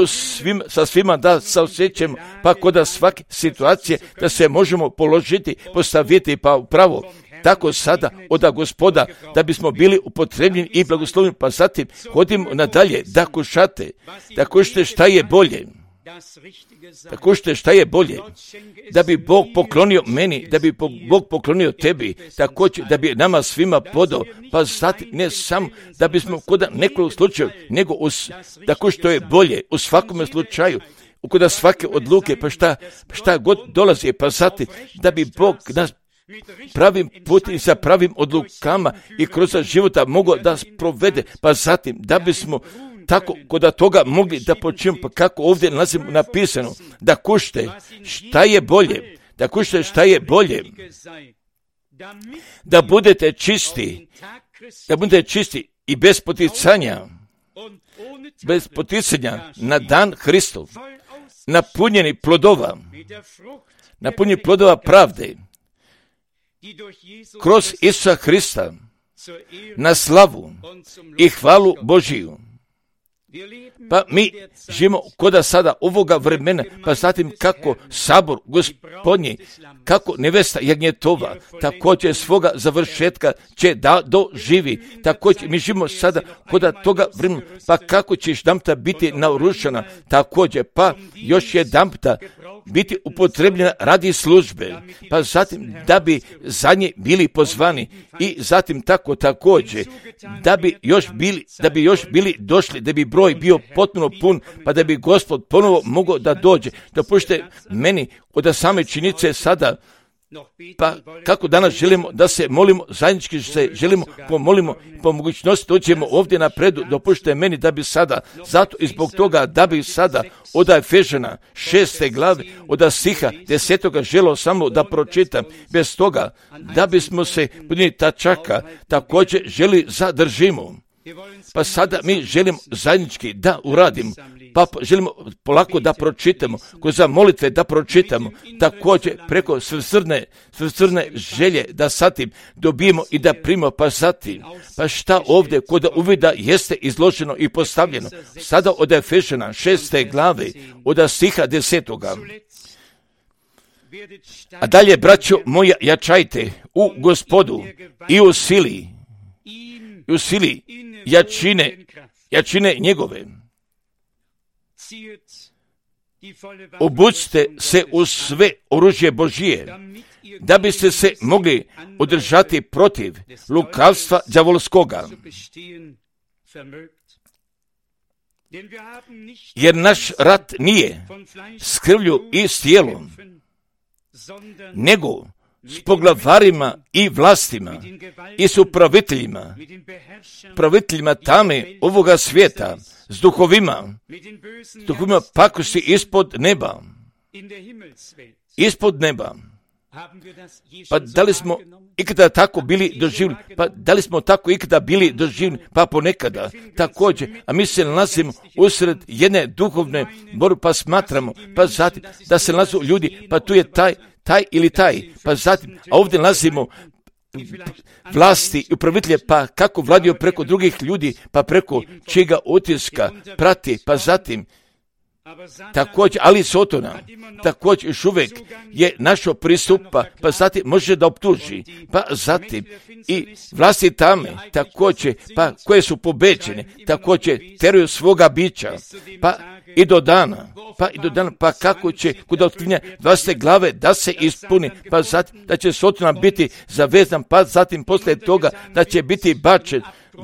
sa svima da se osjećamo, pa kod svake situacije da se možemo položiti, postaviti pa upravo tako sada od Gospoda da bismo bili upotrebljeni i blagoslovljeni, pa zatim hodimo nadalje da kušate, da kušate šta je bolje. Također šta je bolje, da bi Bog poklonio meni, da bi Bog poklonio tebi, također da bi nama svima podao, pa zatim ne samo da bismo kod nekog slučaju, nego tako što je bolje u svakome slučaju, kod svake odluke, pa šta god dolazi, pa zatim da bi Bog nas pravim putem i sa pravim odlukama i kroz života mogao da provede, pa zatim da bismo tako kod toga mogli da počnemo, pa kako ovdje nalazimo napisano, da kušte šta je bolje, da kušte šta je bolje, da budete čisti i bez poticanja na dan Hristov, napunjeni plodova pravde, kroz Isusa Hrista, na slavu i hvalu Božiju. Pa mi živimo kod sada ovoga vremena, pa zatim kako sabor Gospodnji, kako nevesta jagnjetova, također svoga završetka će da doživi. Također mi živimo sada kod toga vremena, pa kako će jedanputa biti naoružana, također pa još jedanputa biti upotrebljena radi službe, pa zatim da bi za nje bili pozvani i zatim također da bi još bili došli, da bi broj bio potpuno pun, pa da bi Gospod ponovo mogao da dođe. Dopušte meni od same činjenice sada, pa kako danas želimo da se molimo, zajednički se želimo pomolimo, po mogućnosti dođemo ovdje napredu, dopušte meni da bi sada, zato i zbog toga da bi sada od Efežana 6. glave, od stiha 10. želio samo da pročitam, bez toga da bismo se podnijeli tačaka, također želi zadržimo. Pa sada mi želimo zajednički da uradimo, pa želimo polako da pročitamo, kroz molitve da pročitamo, također preko svrsrne želje da zatim dobijemo i da primimo, pa zatim, pa šta ovdje kod uvida jeste izloženo i postavljeno, sada od Efežana 6. glave, od stiha 10. A dalje, braćo moja, jačajte u Gospodu i u sili jačine njegove. obucite se u sve oružje Božije, da biste se mogli održati protiv lukavstva đavolskoga. Jer naš rat nije s krvlju i s tijelom, nego s poglavarima i vlastima i s upraviteljima, praviteljima tame ovoga svijeta, s duhovima pakosti ispod neba. Ispod neba. Pa da li smo ikada tako bili doživljeni? Pa da li smo tako ikada bili doživljeni? Pa ponekada također. A mi se nalazimo usred jedne duhovne borbe, pa smatramo, pa zatim da se nalazu ljudi, pa tu je taj ili taj, pa zatim, a ovdje nalazimo vlasti i upravitelje, pa kako vladio preko drugih ljudi, pa preko čega utiska prati, pa zatim također, ali Sotona također još uvijek je našo pristupa, pa zatim može da optuži, pa zatim i vlasti tame također, pa koje su pobeđene, također teruju svoga bića, pa i do dana, pa kako će kod otkrivenja 20. glave da se ispuni, pa zatim da će Sotona biti zavezan, pa zatim poslije toga da će biti bačen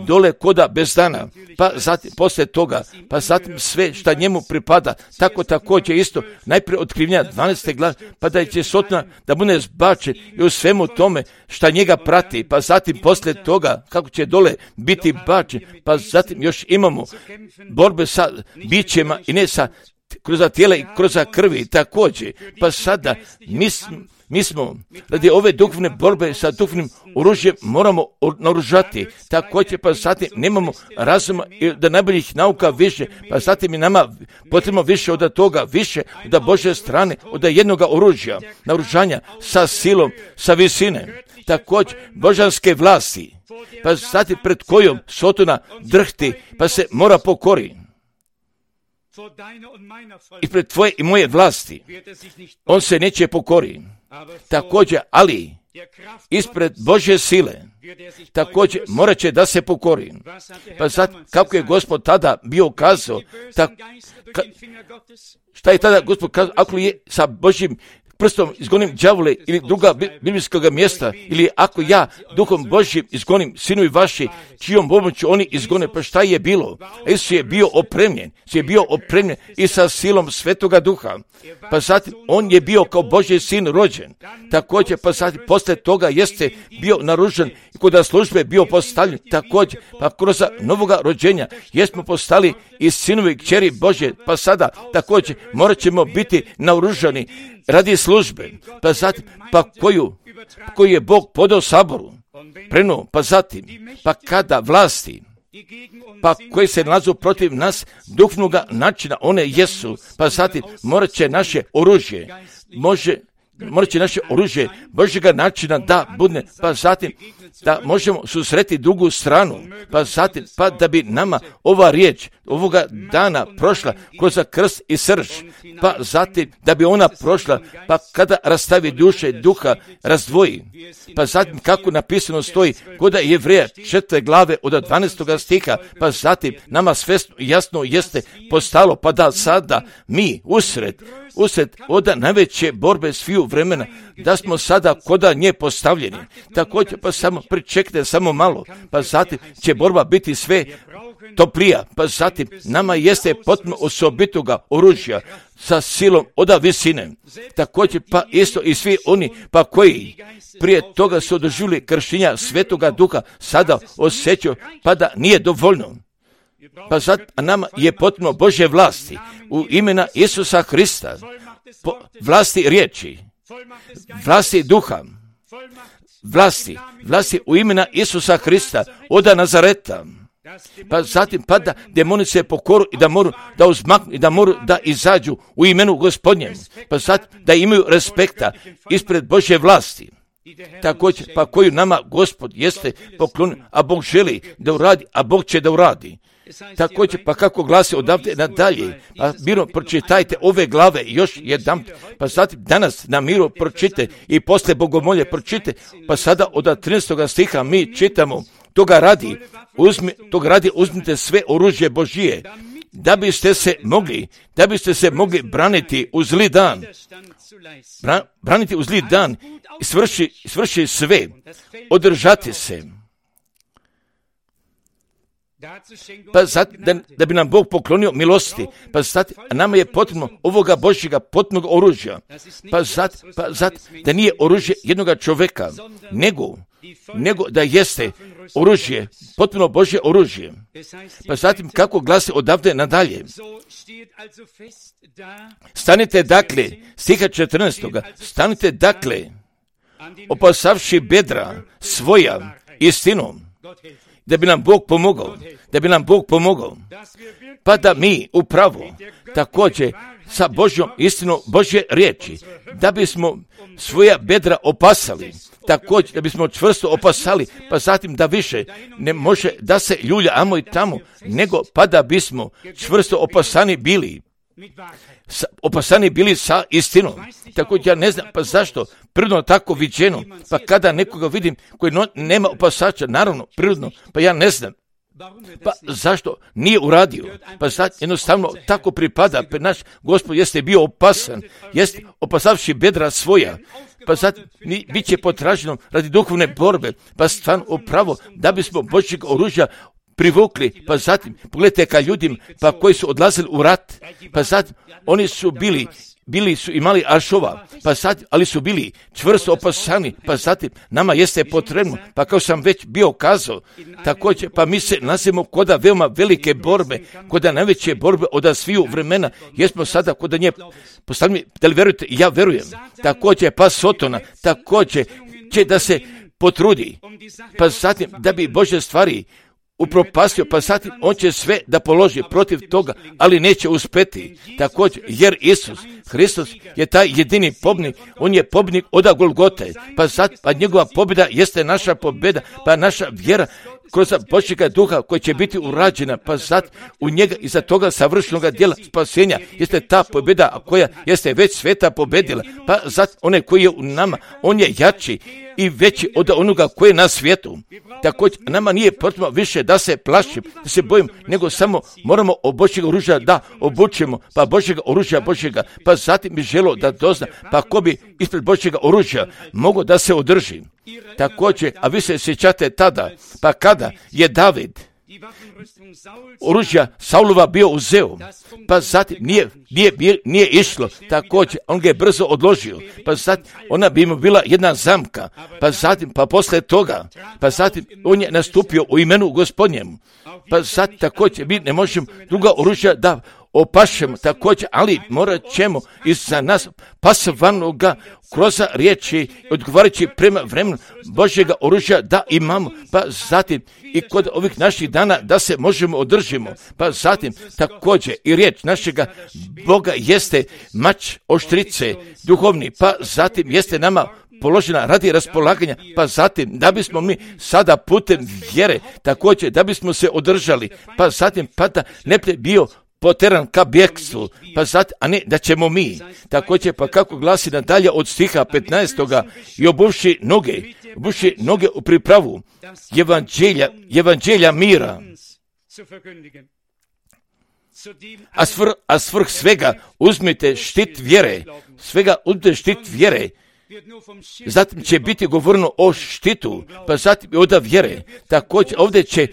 dole koda bez dana, pa zatim poslije toga, pa zatim sve šta njemu pripada, tako također isto, najprije otkrivenja 12. glave, pa da će Sotona da bude zbačen i u svemu tome šta njega prati, pa zatim poslije toga kako će dole biti bačen, pa zatim još imamo borbe sa bićima i ne sa kroz tijela i kroz krvi također, pa sada mi smo radi ove duhovne borbe sa duhovnim oružjem moramo naoružati, također pa zatim nemamo razuma da najboljih nauka više, pa zatim je nama potrebno više od toga, više od Božje strane, od jednoga oružja, naoružanja sa silom, sa visine, također božanske vlasti, pa zatim pred kojom Sotona drhti, pa se mora pokori. I pred tvoje i moje vlasti on se neće pokori. Također, ali ispred Božje sile također morat će da se pokori. Pa sad, kako je Gospod tada bio kazao, šta je tada Gospod kazao, ako je sa Božjim prstom izgonim đavole ili druga biblijskog mjesta, ili ako ja duhom Božjim izgonim sinovi vaši, čijom pomoću oni izgone, pa šta je bilo? Isus je bio opremljen i sa silom Svetoga Duha, pa zatim on je bio kao Božji sin rođen, također pa zatim posle toga jeste bio naružen i kod službe bio postavljen, također pa kroz novoga rođenja jesmo postali i sinovi kćeri Božje, pa sada također morat ćemo biti naoružani radi službe, pa zatim, koju je Bog podao saboru, prenuo, pa zatim, pa kada vlasti, pa koji se nalazu protiv nas duhovnoga načina, one jesu, pa zatim morat će naše oružje Božjega načina da bude, pa zatim da možemo susreti drugu stranu, pa zatim, pa da bi nama ova riječ ovoga dana prošla kroz krst i srž, pa zatim da bi ona prošla, pa kada rastavi duše duha razdvoji, pa zatim kako napisano stoji kod Jevreja 4. glave od 12. stiha, pa zatim nama sve jasno jeste postalo, pa da sada mi usred od najveće borbe sviju vremena, da smo sada koda nje postavljeni. Također pa samo pričekajte samo malo, pa zatim će borba biti sve toplija, pa zatim nama jeste potpuno osobitoga oružja sa silom od visine. Također pa isto i svi oni pa koji prije toga su doživjeli krštenja Svetoga Duha, sada osjećaju pa da nije dovoljno. Pa sad nama je potpuno Božje vlasti u imena Isusa Hrista, vlasti riječi, vlasti duha, vlasti u imena Isusa Hrista od Nazareta. Pa zatim pa da demoni se pokoru i da moru da uzmaknu i da moru da izađu u imenu Gospodnjem, pa zatim da imaju respekta ispred Božje vlasti. Također pa koju nama Gospod jeste poklonio, a Bog želi da uradi, a Bog će da uradi. Također pa kako glasi odavde nadalje, pa mirno pročitajte ove glave još jedan, pa zatim danas na miru pročite i posle bogomolje pročite, pa sada od 13. stiha mi čitamo, toga radi uzmite sve oružje Božije, da biste se mogli braniti u zli dan. Braniti u zli dan i svrši sve, održati se. Pa sad, da bi nam Bog poklonio milosti, pa sad, nama je potrebno ovoga Božjega potpunog oružja. Pa sad, da nije oružje jednoga čovjeka, nego da jeste oružje, potpuno Božje oružje. Pa zatim, kako glasi odavde nadalje? Stanite dakle, stiha 14. Stanite dakle, opasavši bedra svoja istinom, da bi nam Bog pomogao, pa da mi upravo također sa Božjom istinom Božje riječi, da bismo svoja bedra opasali, također da bismo čvrsto opasali, pa zatim da više ne može da se ljulja amo i tamo, nego pa da bismo čvrsto opasani bili sa istinom. Također ja ne znam pa zašto prirodno tako viđeno, pa kada nekoga vidim koji nema opasača, naravno prirodno, pa ja ne znam pa zašto nije uradio, pa sad jednostavno tako pripada, pa naš Gospod jeste bio opasan, jeste opasavši bedra svoja, pa sad bit će potraženo radi duhovne borbe, pa stvarno upravo da bismo Božjeg oružja privukli, pa zatim pogledajte ka ljudima pa koji su odlazili u rat, pa sad oni su bili su imali ašova, pa sad, ali su bili čvrsto opasani, pa zatim nama jeste potrebno, pa kao sam već bio kazao, također, pa mi se nalazimo koda veoma velike borbe, koda najveće borbe od sviju vremena, jesmo sada koda nje postavljeni, da li verujete, ja verujem, također, pa Sotona, također će da se potrudi, pa zatim, da bi Božje stvari upropastio, pa zatim on će sve da položi protiv toga, ali neće uspeti. Također, jer Isus Hristos je taj jedini pobjednik, on je pobjednik od Golgote, pa njegova pobjeda jeste naša pobjeda, pa naša vjera kroz Božjega duha koji će biti urađena, pa sad u njega iza toga savršenog djela spasenja jeste ta pobjeda koja jeste već sveta pobjedila, pa sad onaj koji je u nama, on je jači i veći od onoga koji je na svijetu. Također, nama nije potrebno više da se plašim, da se bojim, nego samo moramo o Božjeg oružja da obučemo, pa Božjega oružja Božjega, pa zatim bi želo da dozna, pa ko bi ispred Božjega oružja mogao da se održi. Također, a vi se sjećate tada, pa kada je David oružja Saulova bio uzeo, pa zatim nije išlo, također on ga je brzo odložio, pa zatim ona bi mu bila jedna zamka, pa zatim, pa posle toga, pa zatim on je nastupio u imenu Gospodnjemu, pa zatim također mi ne možemo druga oružja da opašemo također, ali morat ćemo iza nas pasivanoga kroz riječi odgovarajući prema vremenu Božjega oružja da imamo, pa zatim i kod ovih naših dana da se možemo održimo, pa zatim također i riječ našega Boga jeste mač oštrice duhovni, pa zatim jeste nama položena radi raspolaganja, pa zatim da bismo mi sada putem vjere također da bismo se održali, pa zatim pa da ne bi bio poteran ka bjekstvu, pa zatim, a ne da ćemo mi, također pa kako glasi nadalje od stiha 15. i obuvši noge u pripravu evanđelja mira, a svrh svega uzmite štit vjere, zatim će biti govoreno o štitu, pa zatim i od vjere, također ovdje će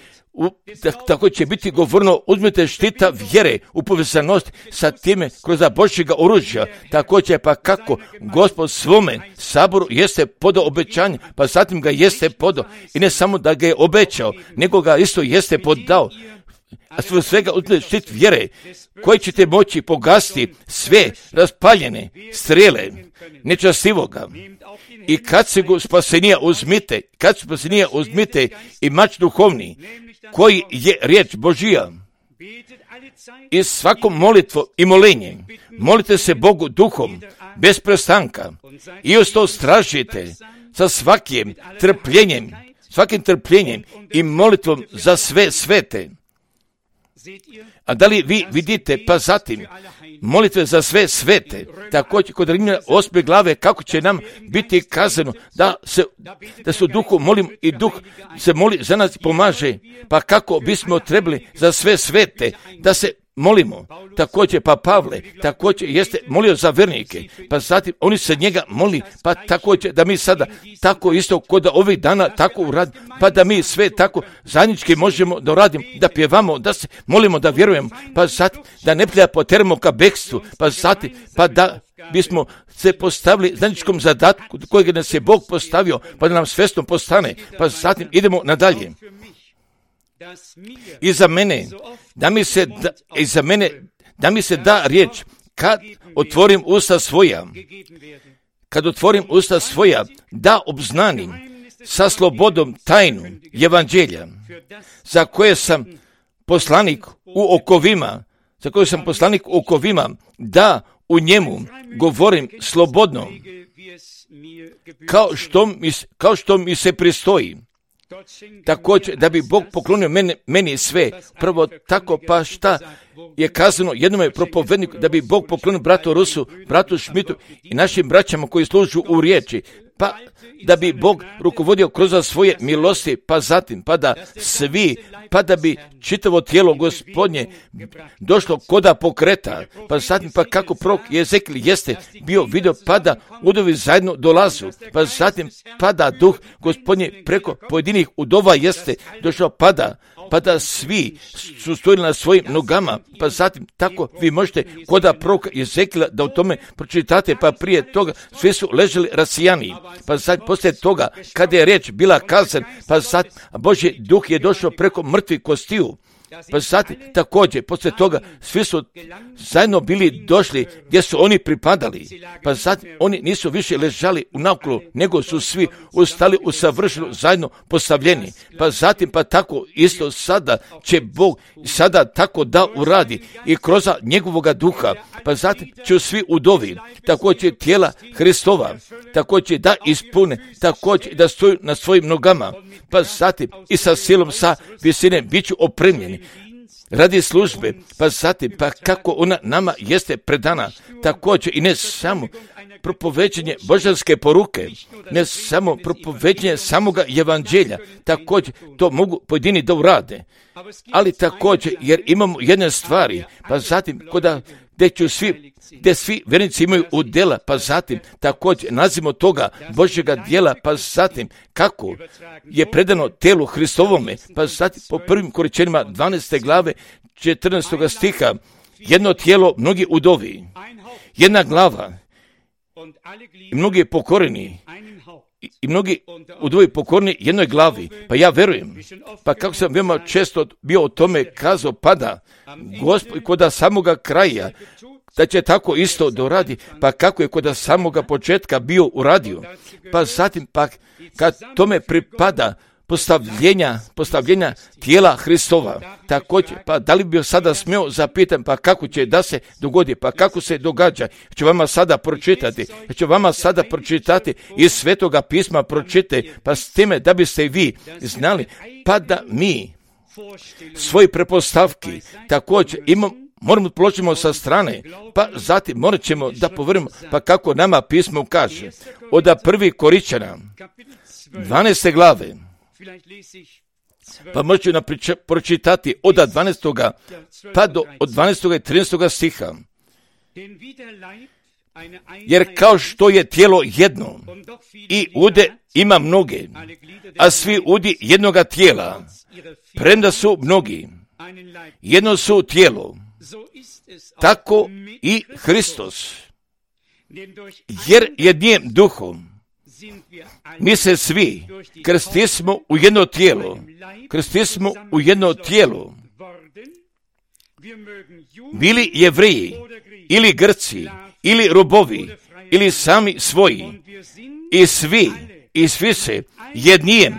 tako će biti govorno, uzmite štita vjere u povezanost sa time kroz Božjega oružja, također pa kako Gospod svome saboru jeste podao obećanje, pa zatim ga jeste podao i ne samo da ga je obećao, nego ga isto jeste podao, a sve svega uzmite štit vjere koji ćete moći pogasiti sve raspaljene strele nečastivoga. I kad se spasenija uzmite i mač duhovni, koji je riječ Božija. I svakom molitvom i molenjem molite se Bogu duhom bez prestanka i uz to stražite sa svakim trpljenjem i molitvom za sve svete. A da li vi vidite, pa zatim molitve za sve svete, također kod Rimljana 8. glave kako će nam biti kazano da se u duhu molim i duh se moli za nas pomaže, pa kako bismo trebali za sve svete da se molimo. Također, pa Pavle također jeste molio za vernike, pa zatim oni se njega moli, pa također da mi sada tako isto kod ovih dana tako uradimo, pa da mi sve tako zajednički možemo da uradimo, da pjevamo, da se molimo, da vjerujemo, pa zatim da ne poteramo ka bekstvu, pa zatim pa da bismo se postavili zajedničkom zadatku kojeg nas je Bog postavio, pa da nam svjesno postane, pa zatim idemo nadalje. I za mene, da mi se da riječ, kad otvorim usta svoja, da obznanim sa slobodom tajnu evanđelja, za koje sam poslanik u okovima, da u njemu govorim slobodno, kao što mi se pristoji. Također, da bi Bog poklonio meni sve, prvo tako, pa šta je kazano jednome propovedniku, da bi Bog poklonio bratu Rusu, bratu Šmitu i našim braćama koji služu u riječi, pa da bi Bog rukovodio kroz svoje milosti, pa zatim, pa da svi, pa da bi čitavo tijelo Gospodnje došlo koda pokreta, pa zatim, pa kako prorok Jezekil jeste bio vidio, pa da udovi zajedno dolazu, pa zatim, pa da duh Gospodnje preko pojedinih udova jeste došao, pa da svi su stojili na svojim nogama, pa zatim tako vi možete koda proroka Jezekila da o tome pročitate, pa prije toga svi su leželi rasijani, pa sad poslije toga kada je riječ bila kazan, pa sad Božji duh je došao preko mrtvih kostiju, pa zatim također poslije toga svi su zajedno bili došli gdje su oni pripadali, pa zatim oni nisu više ležali u naokolo, nego su svi ustali u savršeno zajedno postavljeni, pa zatim pa tako isto sada će Bog sada tako da uradi i kroz njegovoga duha, pa zatim će svi udovi, također tijela Hristova, također da ispune, također da stoju na svojim nogama, pa zatim i sa silom sa visine bit ću opremljeni radi službe, pa zatim pa kako ona nama jeste predana, također i ne samo propoveđenje božanske poruke, ne samo propoveđenje samoga evanđelja, također to mogu pojedini da urade, ali također jer imamo jedne stvari, pa zatim gdje svi vjernici imaju udjela, pa zatim također nazivamo toga Božjega djela, pa zatim kako je predano telu Hristovome, pa zatim po prvim Korinćanima 12. glave 14. stiha, jedno tijelo, mnogi udovi, jedna glava i mnogi pokoreni, i mnogi udovi pokorni jednoj glavi, pa ja verujem, pa kako sam veoma često bio o tome kazao, pada Gospod kod samoga kraja, da će tako isto doradi, pa kako je kod samoga početka bio uradio, pa zatim pa kad tome pripada postavljenja tijela Hristova, također, pa da li bi sada smio zapitati, pa kako će da se dogodi, pa kako se događa, ću vama sada pročitati iz Svetoga pisma pročitajte, pa s time da biste vi znali, pa da mi svoje pretpostavki također moramo položimo sa strane, pa zatim morat ćemo da povjerimo, pa kako nama pismo kaže, od 1. Korinćana 12. glave, pa možete pročitati od 12. pa do od 12. i 13. stiha. Jer kao što je tijelo jedno i ude ima mnoge, a svi udi jednoga tijela, premda su mnogi, jedno su tijelo, tako i Hristos. Jer jednim duhom mi se svi krstismo u jedno tijelo, bili Jevreji ili Grci ili robovi ili sami svoji, i svi se jednim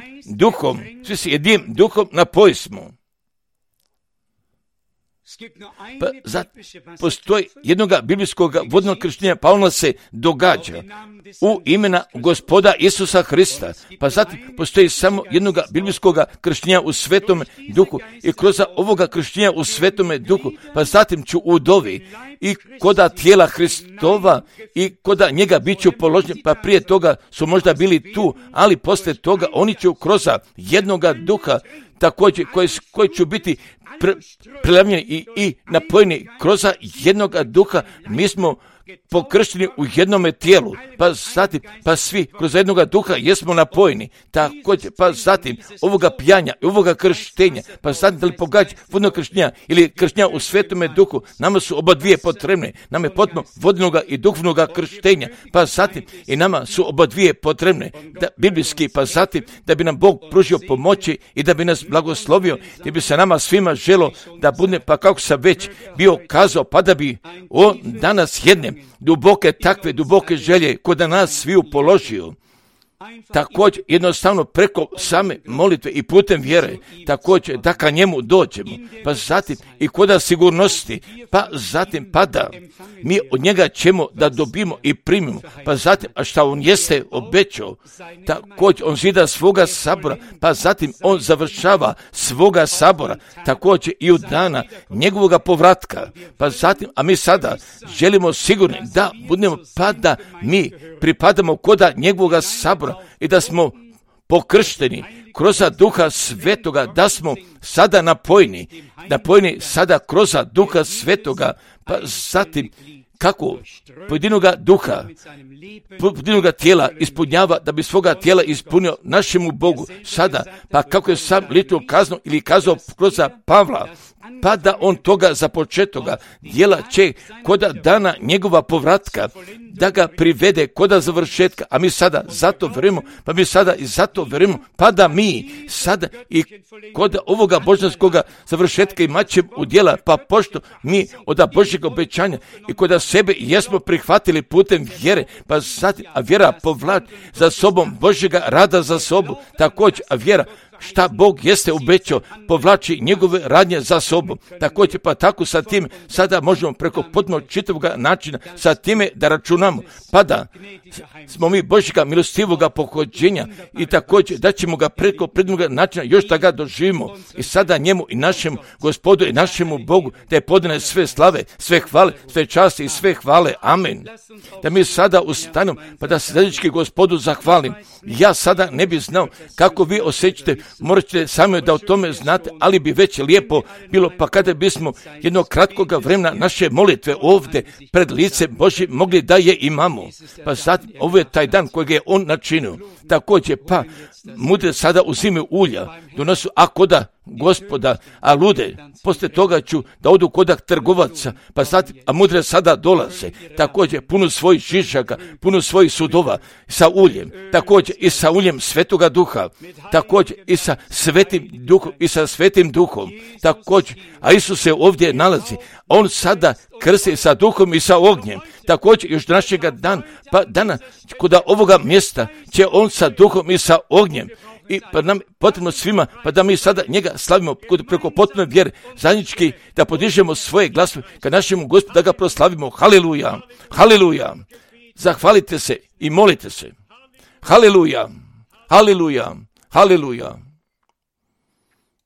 duhom napojimo. Pa postoji jednog biblijskog vodnog krštenja, pa ono se događa u imena Gospoda Isusa Hrista, pa zatim postoji samo jednog biblijskog krštenja u Svetom Duhu i kroz ovoga krštenja u Svetom Duhu, pa zatim ću udovi i koda tijela Hristova i koda njega bit ću položeni, pa prije toga su možda bili tu, ali poslije toga oni će kroz jednoga duha također koji će biti prelavljeni i napojeni kroz jednoga duha. Mi smo pokršteni u jednome tijelu, pa zatim, pa svi kroz jednoga duha jesmo napojeni, također, pa zatim ovoga pijanja i ovoga krštenja, pa zatim da li pogađa vodnog krštenja ili krštenja u svetome duhu, nama su oba dvije potrebne, nam je potrebno vodnoga i duhovnoga krštenja, pa zatim i nama su oba dvije potrebne, biblijski, pa zatim da bi nam Bog pružio pomoći i da bi nas blagoslovio, da bi se nama svima želo da bude, pa kako sam već bio kazao, pa da bi on danas jedne takve duboke želje kod nas sviju položio. Također jednostavno preko same molitve i putem vjere, također da ka njemu dođemo, pa zatim i kod sigurnosti, pa zatim pa da mi od njega ćemo da dobimo i primimo, pa zatim a šta on jeste obećao, također on zida svoga sabora, pa zatim on završava svoga sabora, također i u dana njegovoga povratka, pa zatim a mi sada želimo sigurni da budemo, pa da mi pripadamo koda njegovoga sabora i da smo pokršteni kroz Duha Svetoga, da smo sada napojeni sada kroz Duha Svetoga, pa zatim kako pojedinoga duha, pojedinoga tijela ispunjava da bi svoga tijela ispunio našemu Bogu sada, pa kako je sam litno kazno ili kazao kroz Pavla, pa da on toga započetoga djela će koda dana njegova povratka, da ga privede koda završetka, a mi sada zato verujemo, pa mi sada i zato verujemo, pa da mi sada i koda ovoga božanskoga završetka imat ćemo u djela, pa pošto mi od Božjeg obećanja i koda sebe jesmo prihvatili putem vjere, pa sad, a vjera povlači za sobom Božjega rada za sobom, također, a vjera šta Bog jeste obećao, povlači njegove radnje za sobom. Također pa tako sa tim sada možemo preko potpuno čitavoga načina sa time da računamo, pa da smo mi Božjega milostivoga pohođenja i također da ćemo ga preko prednoga načina još da ga doživimo i sada njemu i našemu Gospodu i našemu Bogu da je podane sve slave, sve hvale, sve časti i sve hvale. Amen. Da mi sada ustanemo pa da se zajednički Gospodu zahvalim. Ja sada ne bi znao kako vi osjećate, morat ćete sami da o tome znate, ali bi već lijepo bilo pa kada bismo jednog kratkoga vremena naše molitve ovdje pred lice Božje mogli da je imamo. Pa sad ovo je taj dan kojeg je on načinio. Također pa mudre sada uzimaju ulja, donosu koda Gospoda, a lude, poslije toga ću da odu koda trgovaca, pa sad, a mudre sada dolaze, također puno svojih šišaka, puno svojih sudova, sa uljem, također i sa uljem Svetoga Duha, također i sa Svetim Duhom, također, a Isus se ovdje nalazi, on sada krsti sa Duhom i sa ognjem, također još našega dana, koda ovoga mjesta će on sa Duhom i sa ognjem, i pa nam potrebno svima, pa da mi sada njega slavimo preko potpune vjere, zajednički da podižemo svoje glasove ka našemu Gospodu, da ga proslavimo. Haleluja, haleluja, zahvalite se i molite se. Haleluja, haleluja, haleluja.